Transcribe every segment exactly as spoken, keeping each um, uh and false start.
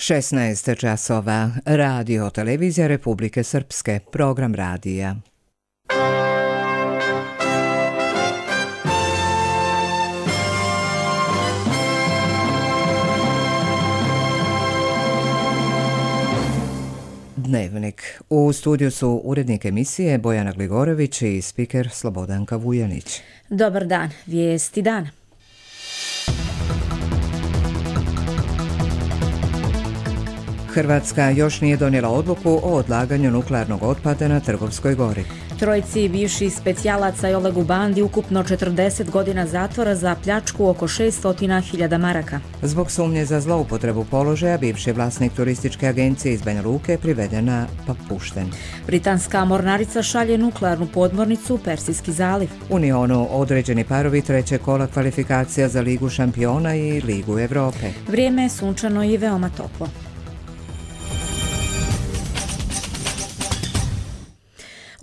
šesnaest časova. Radio televizija Republike Srpske. Program radija. Dnevnik. U studiju su urednik emisije Bojana Gligorović i spiker Slobodanka Vujanić. Dobar dan. Vijesti dana. Hrvatska još nije donijela odluku o odlaganju nuklearnog otpada na Trgovskoj gori. Trojici bivših specijalaca i Olegu Bandi ukupno četrdeset godina zatvora za pljačku oko šesto hiljada maraka. Zbog sumnje za zloupotrebu položaja, bivši vlasnik turističke agencije iz Banja Luke privedena pa pušten. Britanska mornarica šalje nuklearnu podmornicu u Persijski zaliv. U Unionu određeni parovi treće kola kvalifikacija za Ligu šampiona i Ligu Evrope. Vrijeme je sunčano i veoma toplo.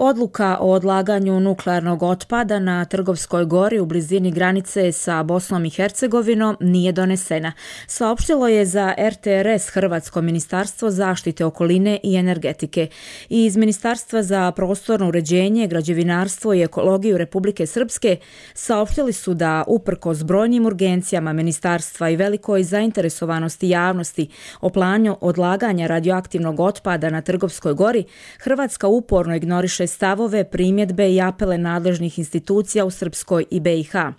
Odluka o odlaganju nuklearnog otpada na Trgovskoj gori u blizini granice sa Bosnom i Hercegovinom nije donesena. Saopštilo je za R T R S Hrvatsko ministarstvo zaštite okoline i energetike. I iz Ministarstva za prostorno uređenje, građevinarstvo i ekologiju Republike Srpske saopštili su da uprkos brojnim urgencijama ministarstva i velikoj zainteresovanosti javnosti o planu odlaganja radioaktivnog otpada na Trgovskoj gori, Hrvatska uporno ignoriše stavove, primjedbe i apele nadležnih institucija u Srpskoj i B i H.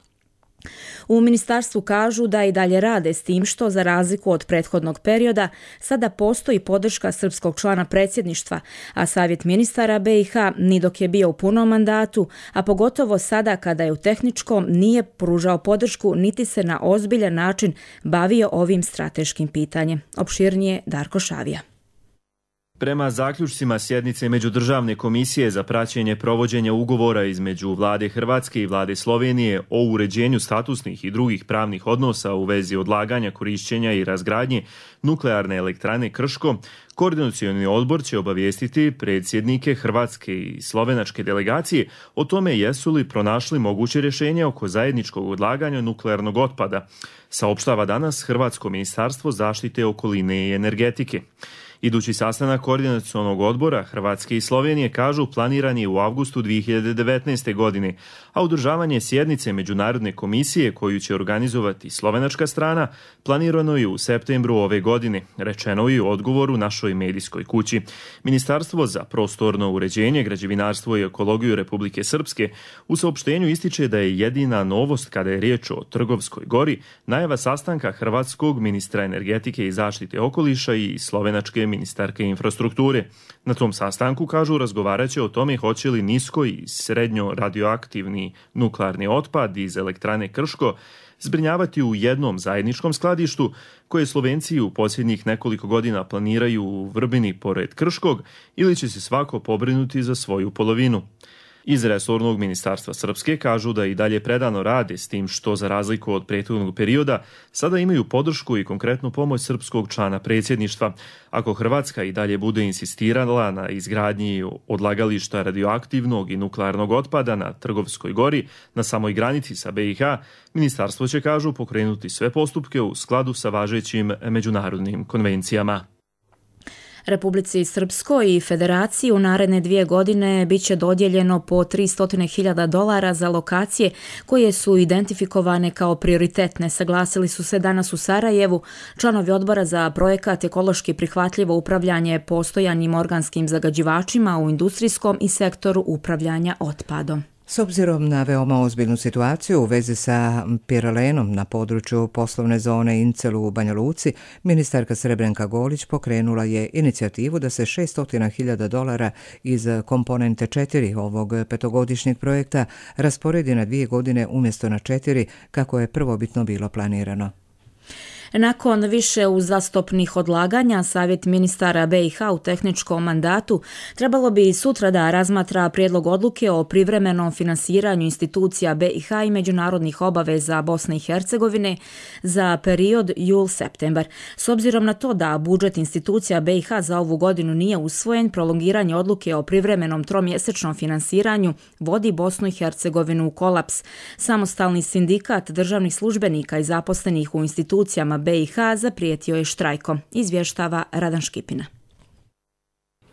U ministarstvu kažu da i dalje rade s tim što, za razliku od prethodnog perioda, sada postoji podrška srpskog člana predsjedništva, a Savjet ministara B i H ni dok je bio u punom mandatu, a pogotovo sada kada je u tehničkom, nije pružao podršku niti se na ozbiljan način bavio ovim strateškim pitanjem. Opširnije Darko Šavija. Prema zaključcima sjednice Međudržavne komisije za praćenje provođenja ugovora između Vlade Hrvatske i Vlade Slovenije o uređenju statusnih i drugih pravnih odnosa u vezi odlaganja, korišćenja i razgradnje nuklearne elektrane Krško, Koordinacioni odbor će obavijestiti predsjednike Hrvatske i slovenačke delegacije o tome jesu li pronašli moguće rješenje oko zajedničkog odlaganja nuklearnog otpada, saopštava danas Hrvatsko ministarstvo zaštite okoline i energetike. Idući sastanak Koordinacionog odbora Hrvatske i Slovenije, kažu, planiran je u avgustu dvije hiljade devetnaeste. godine, a održavanje sjednice Međunarodne komisije koju će organizovati slovenačka strana planirano je u septembru ove godine, rečeno je u odgovoru našoj medijskoj kući. Ministarstvo za prostorno uređenje, građevinarstvo i ekologiju Republike Srpske u saopštenju ističe da je jedina novost kada je riječ o Trgovskoj gori najava sastanka hrvatskog ministra energetike i zaštite okoliša i slovenačke ministarke infrastrukture. Na tom sastanku, kažu, razgovarat će o tome hoće li nisko i srednjo radioaktivni nuklearni otpad iz elektrane Krško zbrinjavati u jednom zajedničkom skladištu koje Slovenci u posljednjih nekoliko godina planiraju u Vrbini pored Krškog, ili će se svako pobrinuti za svoju polovinu. Iz resornog ministarstva Srpske kažu da i dalje predano rade s tim što, za razliku od prethodnog perioda, sada imaju podršku i konkretnu pomoć srpskog člana predsjedništva. Ako Hrvatska i dalje bude insistirala na izgradnji odlagališta radioaktivnog i nuklearnog otpada na Trgovskoj gori, na samoj granici sa B i H, ministarstvo će, kažu, pokrenuti sve postupke u skladu sa važećim međunarodnim konvencijama. Republici Srpskoj i Federaciji u naredne dvije godine bit će dodijeljeno po tristo hiljada dolara za lokacije koje su identifikovane kao prioritetne, saglasili su se danas u Sarajevu članovi odbora za projekat ekološki prihvatljivo upravljanje postojanim organskim zagađivačima u industrijskom i sektoru upravljanja otpadom. S obzirom na veoma ozbiljnu situaciju u vezi sa piralenom na području poslovne zone Incel u Banja Luci, ministarka Srebrenka Golić pokrenula je inicijativu da se šesto hiljada dolara iz komponente četiri ovog petogodišnjeg projekta rasporedi na dvije godine umjesto na četiri, kako je prvobitno bilo planirano. Nakon više uzastopnih odlaganja, Savjet ministara B i H u tehničkom mandatu trebalo bi sutra da razmatra prijedlog odluke o privremenom finansiranju institucija B i H i međunarodnih obaveza Bosne i Hercegovine za period jul-septembar. S obzirom na to da budžet institucija B i H za ovu godinu nije usvojen, prolongiranje odluke o privremenom tromjesečnom finansiranju vodi Bosnu i Hercegovinu u kolaps. Samostalni sindikat državnih službenika i zaposlenih u institucijama B i H zaprijetio je štrajkom, izvještava Radan Škipina.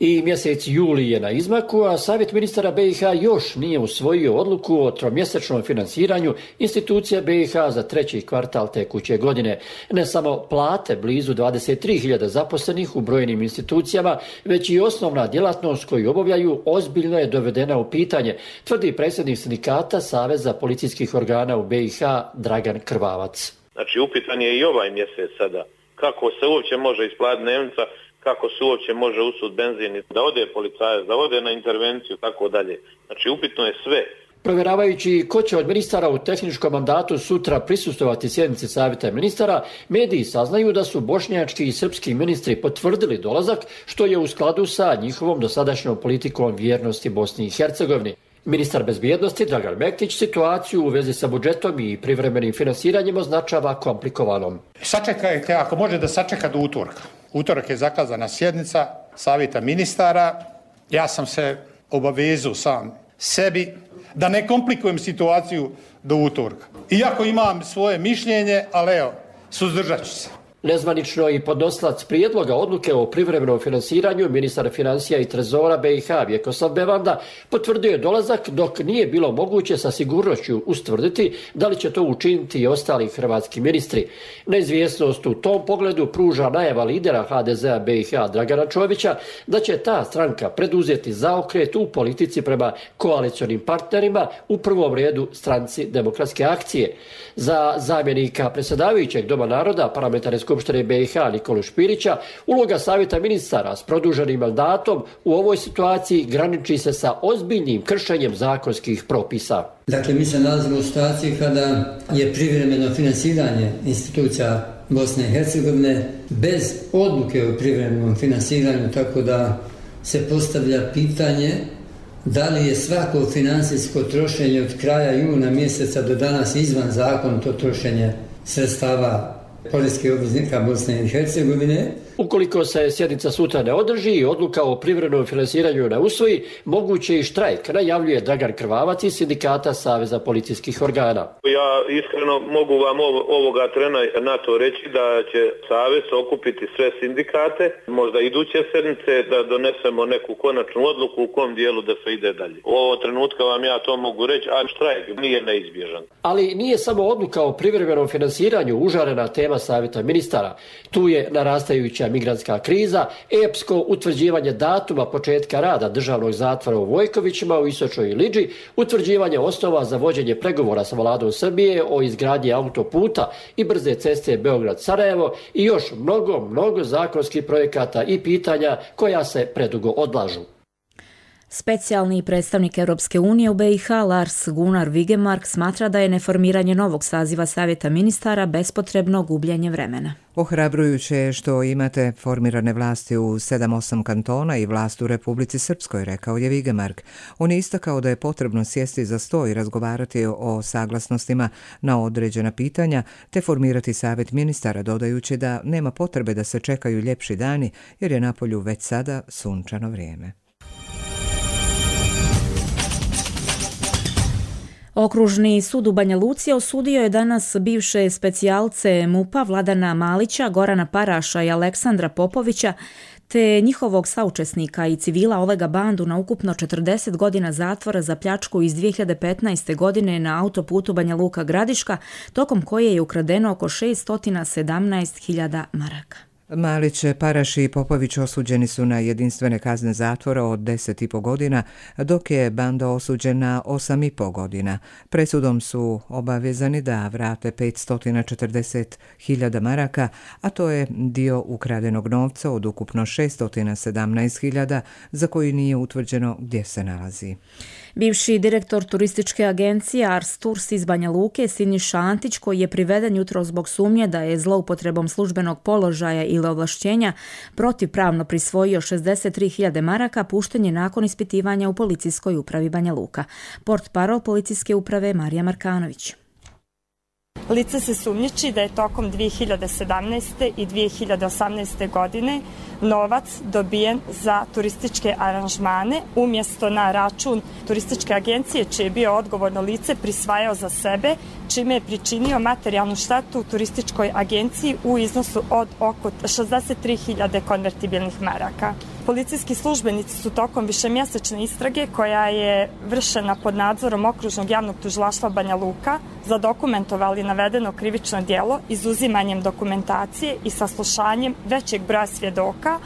I mjesec juli je na izmaku, a Savjet ministara B i H još nije usvojio odluku o tromjesečnom finansiranju institucija B i H za treći kvartal tekuće godine. Ne samo plate blizu dvadeset tri hiljade zaposlenih u brojnim institucijama, već i osnovna djelatnost koju obavljaju ozbiljno je dovedena u pitanje, tvrdi predsjednik sindikata Saveza policijskih organa u B i H Dragan Krvavac. Znači upitan je i ovaj mjesec sada. Kako se uopće može isplatiti dnevnica, kako se uopće može usud benzin, da ode policajac, da ode na intervenciju, tako dalje. Znači upitno je sve. Provjeravajući ko će od ministara u tehničkom mandatu sutra prisustvovati sjednici Savjeta ministara, mediji saznaju da su bošnjački i srpski ministri potvrdili dolazak, što je u skladu sa njihovom dosadašnjom politikom vjernosti Bosni i Hercegovini. Ministar bezbjednosti Dragan Mektić situaciju u vezi sa budžetom i privremenim finansiranjem označava komplikovanom. Sačekajte, ako može da sačeka do utorka. Utorak je zakazana sjednica Savjeta ministara. Ja sam se obavezao sam sebi da ne komplikujem situaciju do utorka. Iako imam svoje mišljenje, ali evo, suzdržat ću se. Nezvanično i podnosilac prijedloga odluke o privremenom finansiranju, ministar financija i trezora B i H Vjekoslav Bevanda, potvrdio je dolazak, dok nije bilo moguće sa sigurnošću ustvrditi da li će to učiniti i ostali hrvatski ministri. Neizvjesnost u tom pogledu pruža najava lidera H D Z-a B i H Dragana Čovića da će ta stranka preduzeti zaokret u politici prema koalicionim partnerima, u prvom redu stranci Demokratske akcije. Za zamjenika predsjedavajućeg Doma naroda parlamentarne Skupštine B i H Nikolu Špirića, uloga Savjeta ministara s produženim mandatom u ovoj situaciji graniči se sa ozbiljnim kršenjem zakonskih propisa. Dakle, mi se nalazimo u situaciji kada je privremeno finansiranje institucija Bosne i Hercegovine bez odluke o privremenom finansiranju, tako da se postavlja pitanje da li je svako financijsko trošenje od kraja juna mjeseca do danas izvan zakonito trošenje sredstava poreskih obveznika Bosne i Hercegovine. Ukoliko se sjednica sutra ne održi i odluka o privremenom finansiranju ne usvoji, moguće i štrajk, najavljuje Dragan Krvavac iz sindikata Saveza policijskih organa. Ja iskreno mogu vam ovoga trena na to reći da će Savez okupiti sve sindikate, možda iduće sedmice da donesemo neku konačnu odluku u kom dijelu da se ide dalje. U ovo trenutka vam ja to mogu reći, a štrajk nije neizbježan. Ali nije samo odluka o privremenom finansiranju užarena tema Savjeta ministara. Tu je narastajuća migrantska kriza, epsko utvrđivanje datuma početka rada državnog zatvora u Vojkovićima u Istočnoj Iliđi, utvrđivanje osnova za vođenje pregovora sa vladom Srbije o izgradnji autoputa i brze ceste Beograd-Sarajevo i još mnogo, mnogo zakonskih projekata i pitanja koja se predugo odlažu. Specijalni predstavnik Europske unije u B i H Lars Gunnar Vigemark smatra da je neformiranje novog saziva Savjeta ministara bespotrebno gubljenje vremena. Ohrabrujuće je što imate formirane vlasti u sedam osam kantona i vlast u Republici Srpskoj, rekao je Vigemark. On je istakao da je potrebno sjesti za sto i razgovarati o saglasnostima na određena pitanja, te formirati savjet ministara, dodajući da nema potrebe da se čekaju ljepši dani, jer je napolju već sada sunčano vrijeme. Okružni sud u Banja Luci osudio je danas bivše specijalce MUP-a Vladana Malića, Gorana Paraša i Aleksandra Popovića, te njihovog saučesnika i civila Olega Bandu na ukupno četrdeset godina zatvora za pljačku iz dvije hiljade petnaeste. godine na autoputu Banja Luka-Gradiška, tokom koje je ukradeno oko šest sedamnaest hiljada maraka. Malić, Paraš i Popović osuđeni su na jedinstvene kazne zatvora od deset i po godina, dok je Banda osuđen na osam i po godina. Presudom su obavezani da vrate petsto četrdeset hiljada maraka, a to je dio ukradenog novca od ukupno šesto sedamnaest hiljada za koji nije utvrđeno gdje se nalazi. Bivši direktor turističke agencije Ars Tours iz Banja Luke, Siniša Antić, koji je priveden jutro zbog sumnje da je zloupotrebom službenog položaja ili ovlašćenja protivpravno prisvojio šezdeset tri hiljade maraka, pušten je nakon ispitivanja u policijskoj upravi Banja Luka. Portparol policijske uprave Marija Markanović. Lice se sumnjiči da je tokom dvije hiljade sedamnaeste. i dvije hiljade osamnaeste. godine novac dobijen za turističke aranžmane umjesto na račun turističke agencije, čije je bio odgovorno lice prisvajao za sebe čime je pričinio materijalnu štetu turističkoj agenciji u iznosu od oko šezdeset tri hiljade konvertibilnih maraka. Policijski službenici su tokom višemjesečne istrage, koja je vršena pod nadzorom Okružnog javnog tužilaštva Banja Luka, zadokumentovali navedeno krivično djelo izuzimanjem dokumentacije i saslušanjem većeg broja svjedoka,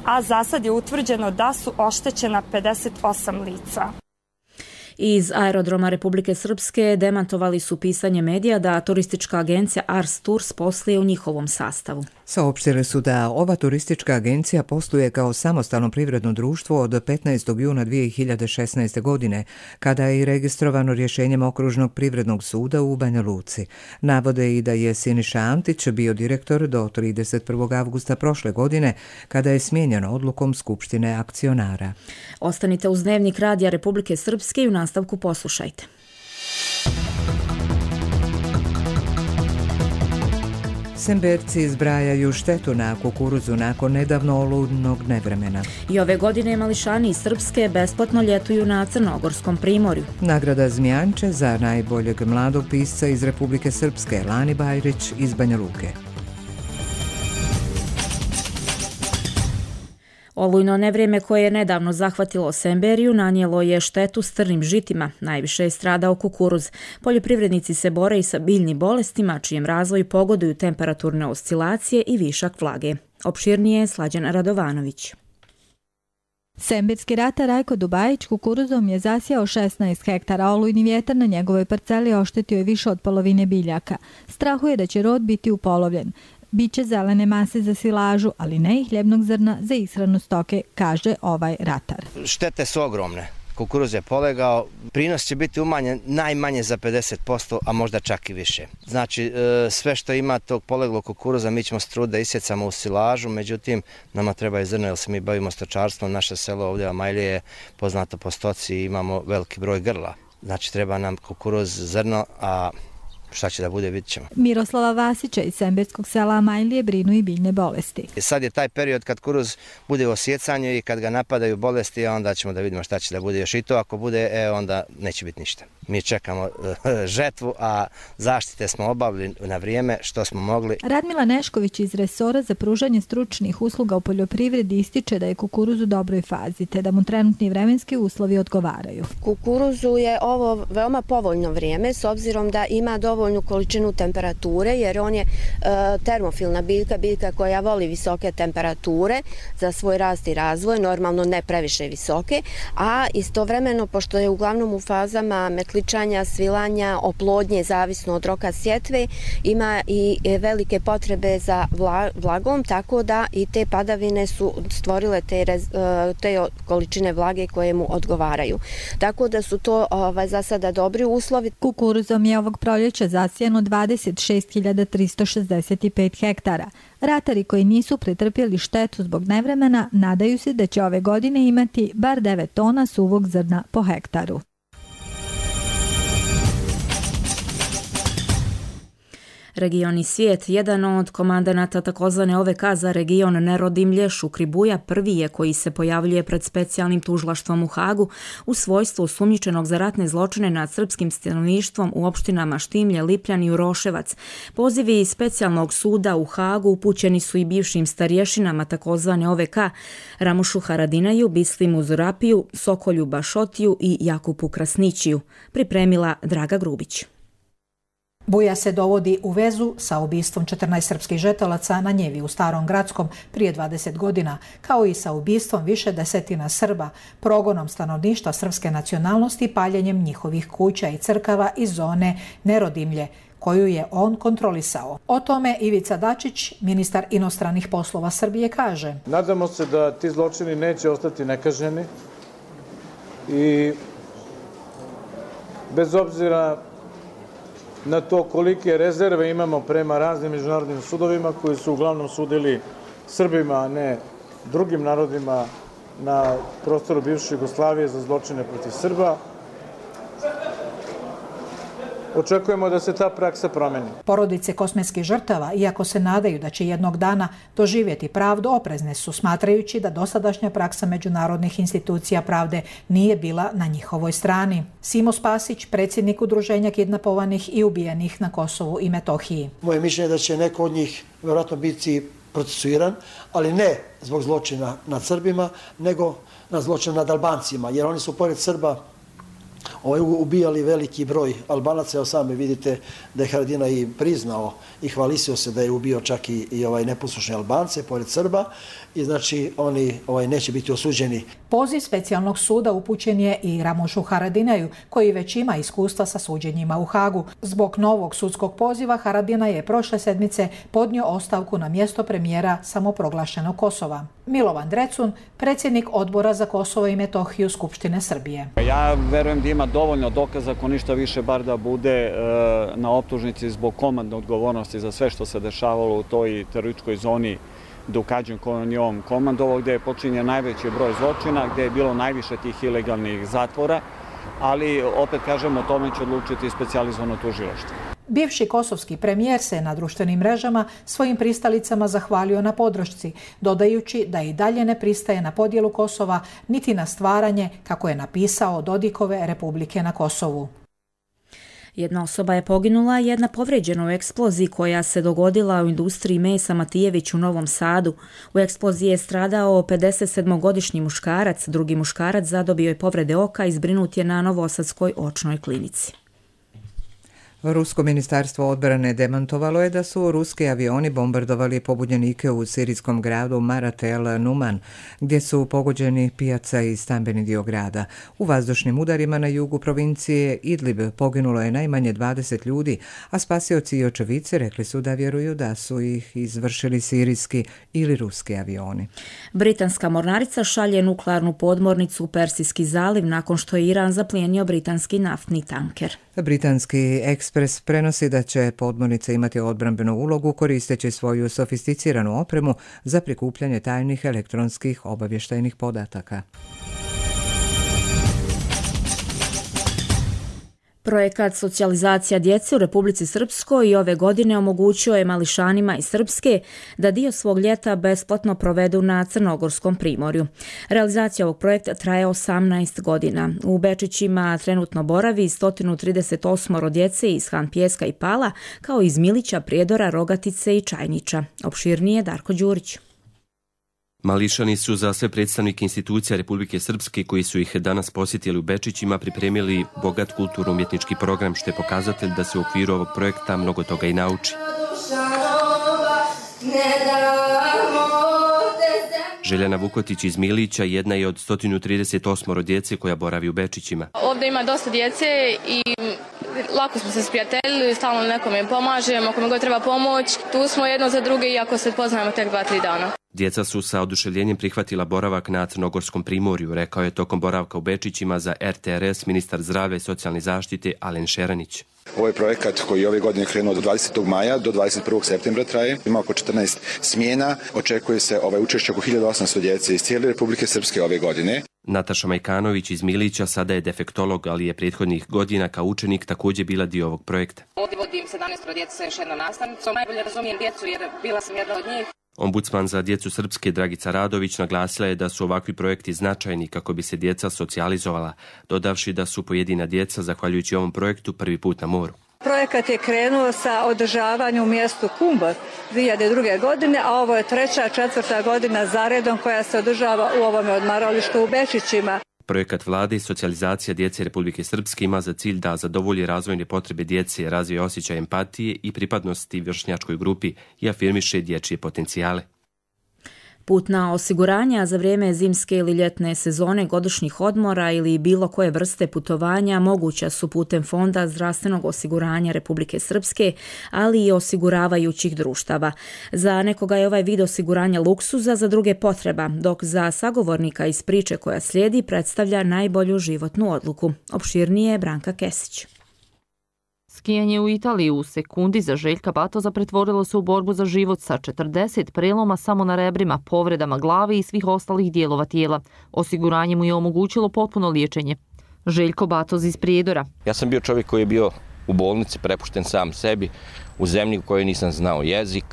a za sad je utvrđeno da su oštećena pedeset osam lica. Iz aerodroma Republike Srpske demantovali su pisanje medija da turistička agencija Ars Tours posluje u njihovom sastavu. Saopštili su da ova turistička agencija posluje kao samostalno privredno društvo od petnaestog juna dvije hiljade šesnaeste. godine, kada je i registrovano rješenjem Okružnog privrednog suda u Banja Luci. Navode i da je Siniša Antić bio direktor do trideset prvog avgusta prošle godine, kada je smijenjen odlukom Skupštine akcionara. Ostanite uz Dnevnik Radija Republike Srpske i u nastavku poslušajte. Semberci zbrajaju štetu na kukuruzu nakon nedavno oludnog nevremena. I ove godine mališani iz Srpske besplatno ljetuju na Crnogorskom primorju. Nagrada Zmijanče za najboljeg mladog pisca iz Republike Srpske, Lani Bajrić iz Banja Luke. Olujno nevrijeme koje je nedavno zahvatilo Semberiju nanijelo je štetu strnim žitima. Najviše je stradao kukuruz. Poljoprivrednici se bore i sa biljnim bolestima, čijem razvoju pogoduju temperaturne oscilacije i višak vlage. Opširnije je Slađan Radovanović. Semberski ratar Rajko Dubajić kukuruzom je zasijao šesnaest hektara, olujni vjetar na njegovoj parceli oštetio je više od polovine biljaka. Strahuje da će rod biti upolovljen. Biće zelene mase za silažu, ali ne i hljebnog zrna za ishranu stoke, kaže ovaj ratar. Štete su ogromne. Kukuruz je polegao, prinos će biti umanjen najmanje za pedeset posto, a možda čak i više. Znači, sve što ima tog poleglog kukuruza mi ćemo se truditi da isjecamo u silažu, međutim, nama treba i zrno, jer se mi bavimo stočarstvom. Naše selo ovdje Amajlije je poznato po stoci i imamo veliki broj grla. Znači, treba nam kukuruz, zrno, a šta će da bude, vidit ćemo. Miroslava Vasića iz semberskog sela Amajlije brinu i biljne bolesti. Sad je taj period kad kukuruz bude u osjecanju i kad ga napadaju bolesti, onda ćemo da vidimo šta će da bude još i to. Ako bude, e, onda neće biti ništa. Mi čekamo žetvu, a zaštite smo obavili na vrijeme što smo mogli. Radmila Nešković iz resora za pružanje stručnih usluga u poljoprivredi ističe da je kukuruz u dobroj fazi, te da mu trenutni vremenski uslovi odgovaraju. Kukuruzu je ovo veoma povoljno vrijeme, s obzirom da ima dovoljnu količinu temperature, jer on je e, termofilna biljka, biljka koja voli visoke temperature za svoj rast i razvoj, normalno ne previše visoke, a istovremeno, pošto je uglavnom u fazama metličanja, svilanja, oplodnje, zavisno od roka sjetve, ima i velike potrebe za vlagom, tako da i te padavine su stvorile te, te količine vlage koje mu odgovaraju. Tako da su to ovaj, za sada dobri uslovi. Kukuruzom je ovog proljeća zasijano dvadeset šest hiljada tristo šezdeset pet hektara. Ratari koji nisu pretrpjeli štetu zbog nevremena nadaju se da će ove godine imati bar devet tona suvog zrna po hektaru. Regioni svijet, jedan od komandanata takozvane O V K za region Nerodimlje, Šukribuja, prvi je koji se pojavljuje pred specijalnim tužilaštvom u Hagu u svojstvu osumnjičenog za ratne zločine nad srpskim stanovništvom u opštinama Štimlje, Lipljan i Uroševac. Pozivi iz specijalnog suda u Hagu upućeni su i bivšim starješinama takozvane O V K, Ramušu Haradinaju, Bislimu Zurapiju, Sokolju Bašotiju i Jakupu Krasnićiju. Pripremila Draga Grubić. Buja se dovodi u vezu sa ubistvom četrnaest srpskih žetelaca na njevi u Starom Gradskom prije dvadeset godina, kao i sa ubistvom više desetina Srba, progonom stanovništva srpske nacionalnosti i paljenjem njihovih kuća i crkava iz zone Nerodimlje, koju je on kontrolisao. O tome Ivica Dačić, ministar inostranih poslova Srbije, kaže: Nadamo se da ti zločini neće ostati nekažnjeni i bez obzira na to kolike rezerve imamo prema raznim međunarodnim sudovima koji su uglavnom sudili Srbima, a ne drugim narodima na prostoru bivše Jugoslavije za zločine protiv Srba. očekujemo da se ta praksa promeni. Porodice kosmetskih žrtava, iako se nadaju da će jednog dana doživjeti pravdu, oprezne su, smatrajući da dosadašnja praksa međunarodnih institucija pravde nije bila na njihovoj strani. Simo Spasić, predsjednik Udruženja kidnapovanih i ubijenih na Kosovu i Metohiji. Moje mišljenje je da će neko od njih vjerojatno biti procesuiran, ali ne zbog zločina nad Srbima, nego na zločin nad Albancima, jer oni su pored Srba ovaj, ubijali veliki broj Albanaca. Evo sami vidite da je Haradinaj i priznao i hvalisio se da je ubio čak i, i ovaj neposlušne Albance pored Srba i znači oni ovaj, neće biti osuđeni. Poziv specijalnog suda upućen je i Ramušu Haradinaju, koji već ima iskustva sa suđenjima u Hagu. Zbog novog sudskog poziva Haradinaj je prošle sedmice podnio ostavku na mjesto premijera samoproglašenog Kosova. Milovan Drecun, predsjednik Odbora za Kosovo i Metohiju Skupštine Srbije. Ja verujem da ima dovoljno dokaza, ako ništa više, bar da bude e, na optužnici zbog komandne odgovornosti za sve što se dešavalo u toj terorističkoj zoni Dukađin kojom je on komandovao, gdje je počinjen najveći broj zločina, gdje je bilo najviše tih ilegalnih zatvora, ali opet kažemo, o tome će odlučiti specijalizovano tužilaštvo. Bivši kosovski premijer se na društvenim mrežama svojim pristalicama zahvalio na podršci, dodajući da i dalje ne pristaje na podjelu Kosova niti na stvaranje, kako je napisao, Dodikove Republike na Kosovu. Jedna osoba je poginula, jedna povrijeđena u eksploziji koja se dogodila u industriji mesa Matijević u Novom Sadu. U eksploziji je stradao pedesetsedmogodišnji muškarac, drugi muškarac zadobio je povrede oka i zbrinut je na Novosadskoj očnoj klinici. Rusko ministarstvo odbrane demantovalo je da su ruski avioni bombardovali pobunjenike u sirijskom gradu Maratel Numan, gdje su pogođeni pijaca i stambeni dio grada. U vazdušnim udarima na jugu provincije Idlib poginulo je najmanje dvadeset ljudi, a spasioci i očevici rekli su da vjeruju da su ih izvršili sirijski ili ruski avioni. Britanska mornarica šalje nuklearnu podmornicu u Persijski zaliv nakon što je Iran zaplijenio britanski naftni tanker. Britanski Ekspres prenosi da će podmornica imati odbrambenu ulogu koristeći svoju sofisticiranu opremu za prikupljanje tajnih elektronskih obavještajnih podataka. Projekat socijalizacija djece u Republici Srpskoj i ove godine omogućio je mališanima iz Srpske da dio svog ljeta besplatno provedu na Crnogorskom primorju. Realizacija ovog projekta traje osamnaest godina. U Bečićima trenutno boravi sto trideset osam djece iz Han Pijeska i Pala, kao iz Milića, Prijedora, Rogatice i Čajnića. Opširnije Darko Đurić. Mališani su za sve predstavnike institucija Republike Srpske koji su ih danas posjetili u Bečićima pripremili bogat kulturno-umjetnički program, što je pokazatelj da se u okviru ovog projekta mnogo toga i nauči. Željana Vukotić iz Milića jedna je od sto trideset osam djece koja boravi u Bečićima. Ovdje ima dosta djece i lako smo se sprijateljili, stalno nekome pomažemo, kome god treba pomoć. Tu smo jedno za druge, iako se poznajemo tek dva, tri dana. Djeca su sa oduševljenjem prihvatila boravak na Crnogorskom primorju, rekao je tokom boravka u Bečićima za R T R S ministar zdravlja i socijalne zaštite Alen Šeranić. Ovo je projekat koji je ove godine krenuo od dvadesetog maja do dvadeset prvog septembra traje. Ima oko četrnaest smjena. Očekuje se ovaj učešće oko hiljadu osamsto djece iz cijele Republike Srpske ove godine. Nataša Majkanović iz Milića sada je defektolog, ali je prethodnih godina kao učenik također bila dio ovog projekta. Ovdje vodim sedamnaest djece sa još jednom nastavnicom. Najbolje razumijem djecu jer bila sam jedna od njih. Ombudsman za djecu Srpske Dragica Radović naglasila je da su ovakvi projekti značajni kako bi se djeca socijalizovala, dodavši da su pojedina djeca, zahvaljujući ovom projektu, prvi put na moru. Projekat je krenuo sa održavanjem u mjestu Kumbor dvije hiljade druge. godine, a ovo je treća, četvrta godina zaredom koja se održava u ovome odmaralištu u Bečićima. Projekat vlade i socijalizacija djece Republike Srpske ima za cilj da zadovolji razvojne potrebe djece, razvije osjećaj empatije i pripadnosti vršnjačkoj grupi i afirmiše dječje potencijale. Putna osiguranja za vrijeme zimske ili ljetne sezone, godišnjih odmora ili bilo koje vrste putovanja moguća su putem Fonda zdravstvenog osiguranja Republike Srpske, ali i osiguravajućih društava. Za nekoga je ovaj vid osiguranja luksuza, za druge potreba, dok za sagovornika iz priče koja slijedi predstavlja najbolju životnu odluku. Opširnije je Branka Kesić. Skijanje u Italiji u sekundi za Željka Batoza pretvorilo se u borbu za život sa četrdeset preloma samo na rebrima, povredama glave i svih ostalih dijelova tijela. Osiguranje mu je omogućilo potpuno liječenje. Željko Batoz iz Prijedora. Ja sam bio čovjek koji je bio u bolnici prepušten sam sebi, u zemlji u kojoj nisam znao jezik.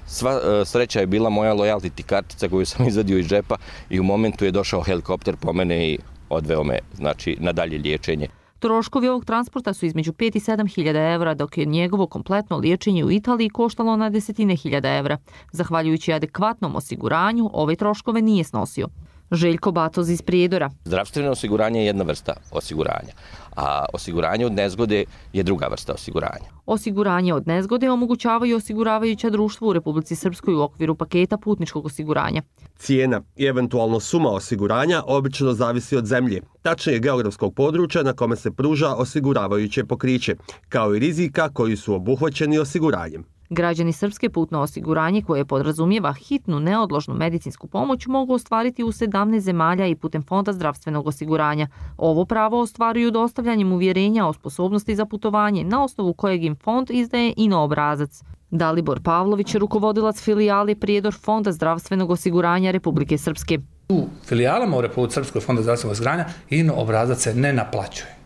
Sva sreća je bila moja loyalty kartica koju sam izvadio iz džepa i u momentu je došao helikopter po mene i odveo me, znači, na dalje liječenje. Troškovi ovog transporta su između pet i sedam hiljada evra, dok je njegovo kompletno liječenje u Italiji koštalo na desetine hiljada evra. Zahvaljujući adekvatnom osiguranju, ove troškove nije snosio. Željko Batoz iz Prijedora. Zdravstveno osiguranje je jedna vrsta osiguranja, a osiguranje od nezgode je druga vrsta osiguranja. Osiguranje od nezgode omogućavaju osiguravajuća društva u Republici Srpskoj u okviru paketa putničkog osiguranja. Cijena i eventualno suma osiguranja obično zavisi od zemlje, tačnije geografskog područja na kome se pruža osiguravajuće pokriće, kao i rizika koji su obuhvaćeni osiguranjem. Građani Srpske putno osiguranje koje podrazumijeva hitnu neodložnu medicinsku pomoć mogu ostvariti u sedamnaest zemalja i putem Fonda zdravstvenog osiguranja. Ovo pravo ostvaruju dostavljanjem uvjerenja o sposobnosti za putovanje na osnovu kojeg im fond izdaje I N O obrazac. Dalibor Pavlović, rukovodilac filijale Prijedor Fonda zdravstvenog osiguranja Republike Srpske. U filijalama u Republike Srpskoj Fonda zdravstvenog osiguranja I N O obrazac se ne naplaćuje.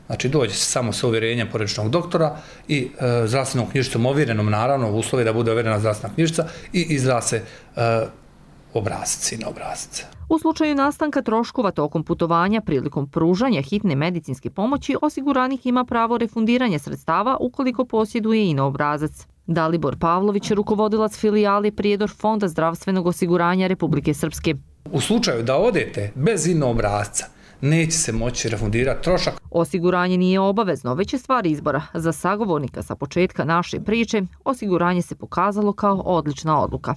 Znači dođe se samo sa uvjerenjem porodičnog doktora i e, zdravstvenom knjižicom ovjerenom, naravno u uslovi da bude ovjerena zdravstvena knjižica i izda se e, obrazac I N O obrazac. U slučaju nastanka troškova tokom putovanja prilikom pružanja hitne medicinske pomoći, osiguranik ima pravo refundiranja sredstava ukoliko posjeduje I N O obrazac. Dalibor Pavlović, rukovodilac filijale Prijedor Fonda zdravstvenog osiguranja Republike Srpske. U slučaju da odete bez I N O obrazca, neće se moći refundirati trošak. Osiguranje nije obavezno, već je stvar izbora. Za sagovornika sa početka naše priče, osiguranje se pokazalo kao odlična odluka.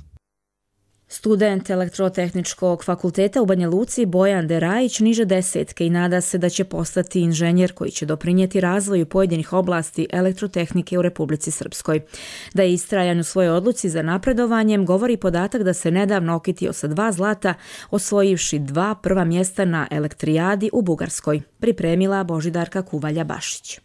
Student Elektrotehničkog fakulteta u Banja Luci Bojan Derajić niže desetke i nada se da će postati inženjer koji će doprinijeti razvoju pojedinih oblasti elektrotehnike u Republici Srpskoj. Da je istrajan u svojoj odluci za napredovanjem govori podatak da se nedavno okitio sa dva zlata, osvojivši dva prva mjesta na elektrijadi u Bugarskoj, pripremila Božidarka Kuvalja-Bašić.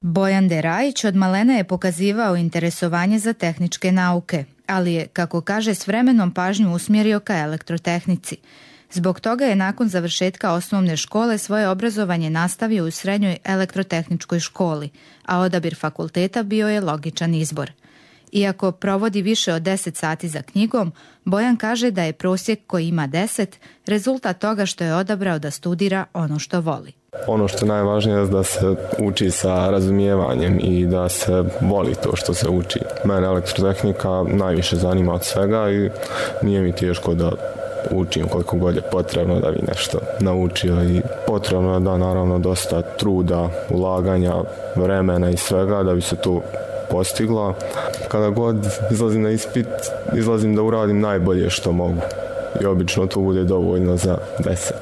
Bojan Derajić od malena je pokazivao interesovanje za tehničke nauke, ali je, kako kaže, s vremenom pažnju usmjerio ka elektrotehnici. Zbog toga je nakon završetka osnovne škole svoje obrazovanje nastavio u srednjoj elektrotehničkoj školi, a odabir fakulteta bio je logičan izbor. Iako provodi više od deset sati za knjigom, Bojan kaže da je prosjek koji ima deset rezultat toga što je odabrao da studira ono što voli. Ono što je najvažnije je da se uči sa razumijevanjem i da se voli to što se uči. Mene elektrotehnika najviše zanima od svega i nije mi teško da učim koliko god je potrebno da bi nešto naučio i potrebno je da naravno dosta truda, ulaganja, vremena i svega da bi se to postigla. Kada god izlazim na ispit, izlazim da uradim najbolje što mogu i obično to bude dovoljno za deset.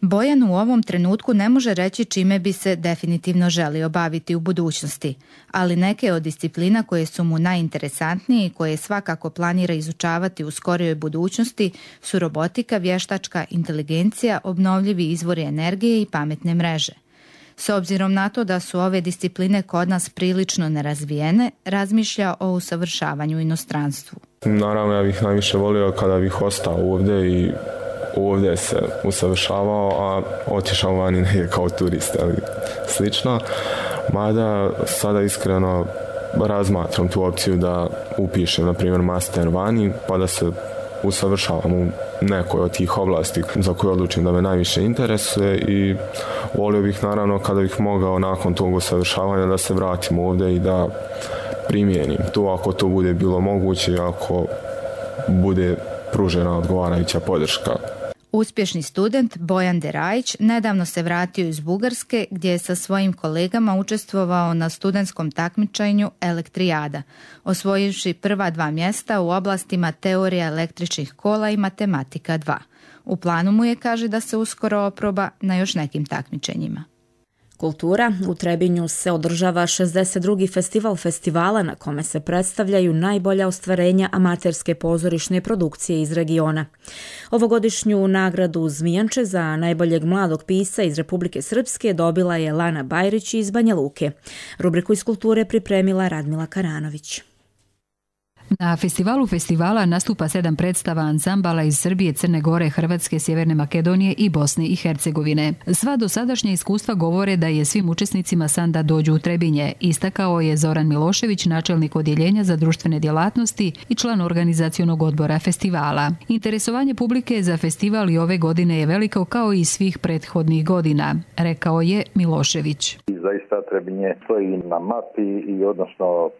Bojan u ovom trenutku ne može reći čime bi se definitivno želio baviti u budućnosti, ali neke od disciplina koje su mu najinteresantnije i koje svakako planira izučavati u skorijoj budućnosti su robotika, vještačka inteligencija, obnovljivi izvori energije i pametne mreže. S obzirom na to da su ove discipline kod nas prilično nerazvijene, razmišlja o usavršavanju u inostranstvu. Naravno, ja bih najviše volio kada bih ostao ovdje i ovdje se usavršavao, a otišao vani negdje kao turist ili slično. Mada sada iskreno razmatram tu opciju da upišem, na primjer, master vani, pa da se usavršavam u nekoj od tih oblasti za koje odlučim da me najviše interesuje i volio bih naravno kada bih mogao nakon tog usavršavanja da se vratim ovdje i da primijenim to ako to bude bilo moguće, ako bude pružena odgovarajuća podrška. Uspješni student Bojan Derajić nedavno se vratio iz Bugarske gdje je sa svojim kolegama učestvovao na studentskom takmičenju Elektrijada, osvojivši prva dva mjesta u oblastima teorija električnih kola i matematika dva. U planu mu je, kaže, da se uskoro oproba na još nekim takmičenjima. Kultura. U Trebinju se održava šezdeset drugi festival festivala na kome se predstavljaju najbolja ostvarenja amaterske pozorišne produkcije iz regiona. Ovogodišnju nagradu Zmijanče za najboljeg mladog pisca iz Republike Srpske dobila je Lana Bajrić iz Banja Luke. Rubriku iz kulture pripremila Radmila Karanović. Na festivalu festivala nastupa sedam predstava ansambala iz Srbije, Crne Gore, Hrvatske, Sjeverne Makedonije i Bosne i Hercegovine. Sva dosadašnja iskustva govore da je svim učesnicima san da dođu u Trebinje, istakao je Zoran Milošević, načelnik odjeljenja za društvene djelatnosti i član organizacionog odbora festivala. Interesovanje publike za festival i ove godine je veliko kao i svih prethodnih godina, rekao je Milošević. Zaista Trebinje stoji na mapi i odnosno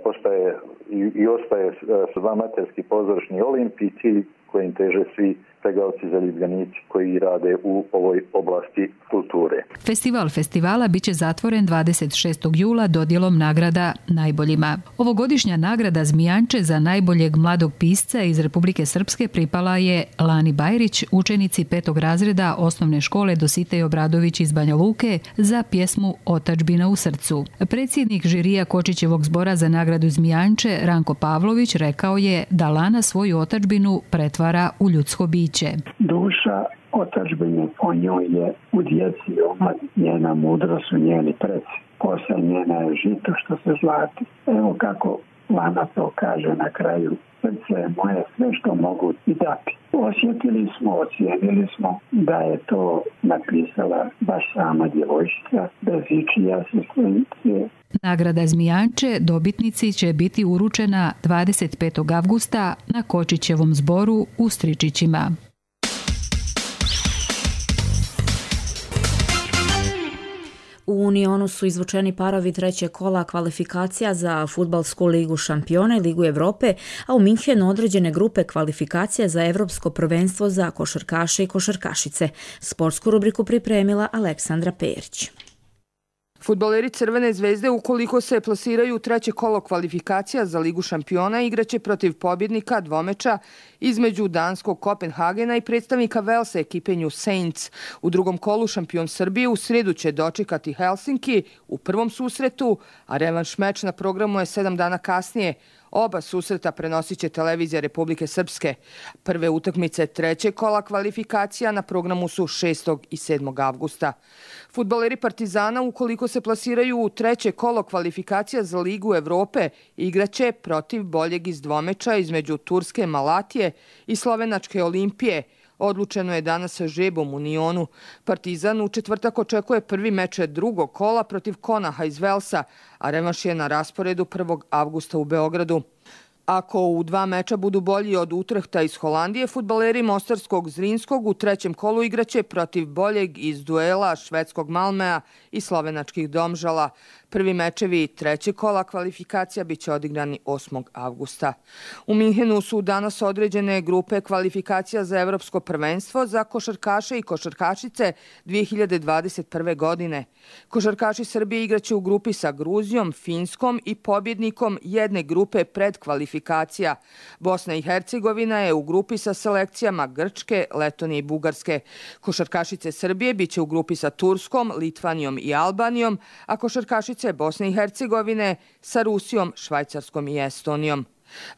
postaje i, i ostaje dva amaterski pozorišni olimpijci kojim teže svi pregavci zaljubljenici koji rade u ovoj oblasti kulture. Festival festivala biće zatvoren dvadeset šestog jula dodjelom nagrada najboljima. Ovogodišnja nagrada Zmijanče za najboljeg mladog pisca iz Republike Srpske pripala je Lani Bajrić, učenici petog razreda osnovne škole Dositej Obradović iz Banja Luke za pjesmu Otadžbina u srcu. Predsjednik žirija Kočićevog zbora za nagradu Zmijanče Ranko Pavlović rekao je da Lana svoju otadžbinu pretvara u ljudsko biće. Duša otadžbine po njoj je u djeci i omladini. Njena mudrost su njeni preci. Kosa njena je žito što se zlati. Evo kako Lana to kaže na kraju. Srce je moje sve što mogu i dati. Osjetili smo, ocijenili smo da je to napisala baš sama djevojčica bez ičije asistencije. Nagrada Zmijanče dobitnici će biti uručena dvadeset petog avgusta na Kočićevom zboru u Stričićima. U Unionu su izvučeni parovi trećeg kola kvalifikacija za Fudbalsku ligu šampiona i Ligu Evrope, a u Minhenu određene grupe kvalifikacija za Evropsko prvenstvo za košarkaše i košarkašice. Sportsku rubriku pripremila Aleksandra Perić. Fudbaleri Crvene zvezde, ukoliko se plasiraju u treće kolo kvalifikacija za Ligu šampiona, igraće protiv pobjednika dvomeča između danskog Kopenhagena i predstavnika Velsa ekipe New Saints. U drugom kolu šampion Srbije u srijedu će dočekati Helsinki u prvom susretu, a revanš meč na programu je sedam dana kasnije. Oba susreta prenosit će televizija Republike Srpske. Prve utakmice trećeg kola kvalifikacija na programu su šestog i sedmog avgusta. Fudbaleri Partizana, ukoliko se plasiraju u treće kolo kvalifikacija za Ligu Evrope, igraće protiv boljeg iz dvomeča između Turske Malatije i Slovenačke Olimpije. Odlučeno je danas sa žebom u Unionu. Partizan u četvrtak očekuje prvi meč drugog kola protiv Konaha iz Velsa, a revanš je na rasporedu prvog avgusta u Beogradu. Ako u dva meča budu bolji od Utrehta iz Holandije, fudbaleri Mostarskog Zrinskog u trećem kolu igraće protiv boljeg iz duela švedskog Malmea i slovenačkih Domžala. Prvi mečevi trećeg kola kvalifikacija biće odigrani osmog avgusta. U Minhenu su danas određene grupe kvalifikacija za Evropsko prvenstvo za košarkaše i košarkašice dvije hiljade dvadeset prve. godine. Košarkaši Srbije igraće u grupi sa Gruzijom, Finskom i pobjednikom jedne grupe predkvalifikacija. Bosna i Hercegovina je u grupi sa selekcijama Grčke, Letonije i Bugarske. Košarkašice Srbije biće u grupi sa Turskom, Litvanijom i Albanijom, a košarkašice Bosne i Hercegovine sa Rusijom, Švajcarskom i Estonijom.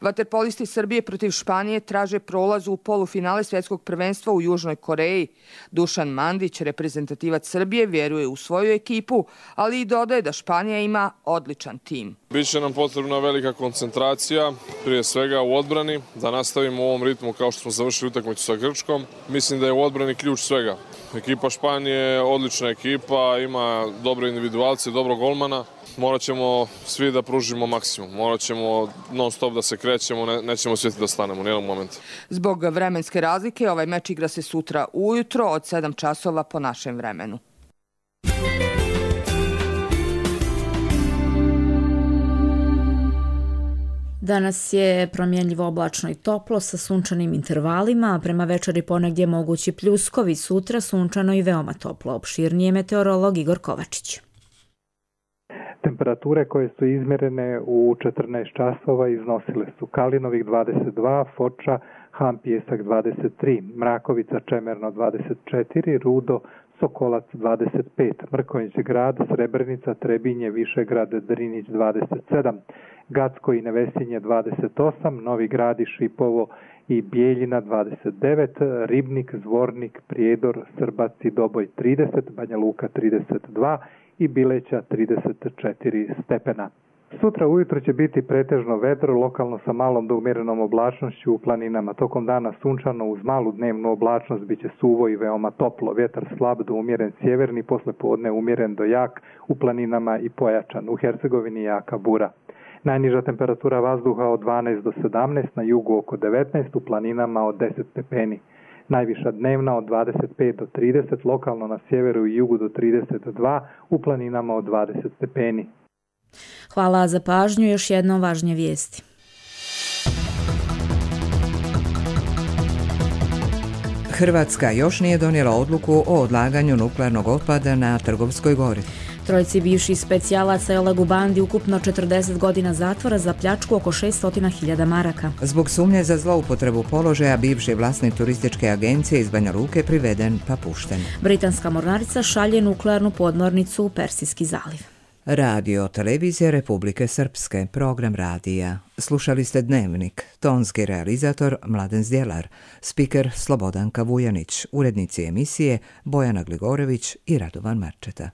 Vaterpolisti Srbije protiv Španije traže prolaz u polufinale svjetskog prvenstva u Južnoj Koreji. Dušan Mandić, reprezentativac Srbije, vjeruje u svoju ekipu, ali i dodaje da Španija ima odličan tim. Biće nam potrebna velika koncentracija, prije svega u odbrani, da nastavimo u ovom ritmu kao što smo završili utakmicu sa Grčkom. Mislim da je u odbrani ključ svega. Ekipa Španije je odlična ekipa, ima dobre individualce, dobro golmana. Morat ćemo svi da pružimo maksimum. Morat ćemo non stop da se krećemo, ne, nećemo svjeti da stanemo u nijednog momenta. Zbog vremenske razlike ovaj meč igra se sutra ujutro od sedam časova po našem vremenu. Danas je promjenljivo oblačno i toplo sa sunčanim intervalima, a prema večeri ponegdje mogući pljuskovi, sutra sunčano i veoma toplo. Opširnije meteorolog Igor Kovačić. Temperature koje su izmjerene u četrnaest časova iznosile su Kalinovik dvadeset dva, Foča, Han Pijesak dvadeset tri, Mrakovica Čemerno dvadeset četiri, Rudo, Sokolac dvadeset pet, Mrkonjić grad, Srebrenica, Trebinje, Višegrad, Drinić dvadeset sedam, Gacko i Nevesinje dvadeset osam, Novi Grad i Šipovo i Bijeljina dvadeset devet, Ribnik, Zvornik, Prijedor, Srbac i Doboj trideset, Banja Luka trideset dva i Bileća trideset četiri stepena. Sutra ujutro će biti pretežno vedro, lokalno sa malom do umjerenom oblačnošću u planinama. Tokom dana sunčano uz malu dnevnu oblačnost bit će suvo i veoma toplo. Vjetar slab do umjeren sjeverni, posle podne umjeren do jak, u planinama i pojačan. U Hercegovini jaka bura. Najniža temperatura vazduha od dvanaest do sedamnaest, na jugu oko devetnaest, u planinama od deset stepeni. Najviša dnevna od dvadeset pet do trideset, lokalno na sjeveru i jugu do trideset dva, u planinama od dvadeset stepeni. Hvala za pažnju, još jednom važnije vijesti. Hrvatska još nije donijela odluku o odlaganju nuklearnog otpada na Trgovskoj gori. Trojici bivših specijalaca i Olegu Bandi ukupno četrdeset godina zatvora za pljačku oko šesto hiljada maraka. Zbog sumnje za zloupotrebu položaja bivši vlasnik turističke agencije iz Banja Luke priveden pa pušten. Britanska mornarica šalje nuklearnu podmornicu u Persijski zaliv. Radio Televizija Republike Srpske, program radija. Slušali ste Dnevnik, tonski realizator Mladen Zdjelar, spiker Slobodanka Vujanić, urednici emisije Bojana Gligorević i Radovan Marčeta.